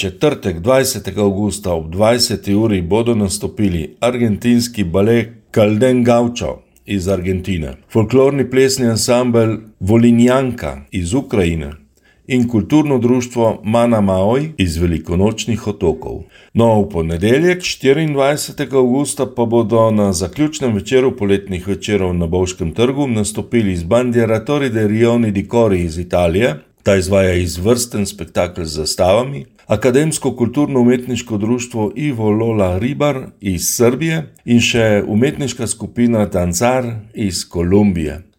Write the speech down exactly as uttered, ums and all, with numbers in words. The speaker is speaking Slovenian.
četrtek dvajsetega avgusta ob dvajseti uri bodo nastopili argentinski balet Calden Gaucho iz Argentine, folklorni plesni ansambel Volinjanka iz Ukrajine in kulturno društvo Mana Maoj iz Velikonočnih otokov. No, v ponedeljek štiriindvajsetega avgusta pa bodo na zaključnem večeru poletnih večerov na Bovškem trgu nastopili z Bandieratori de Rioni di Cori iz Italije. Ta izvaja izvrsten spektakel z zastavami, akademsko kulturno-umetniško društvo Ivo Lola Ribar iz Srbije in še umetniška skupina Danzar iz Kolumbije.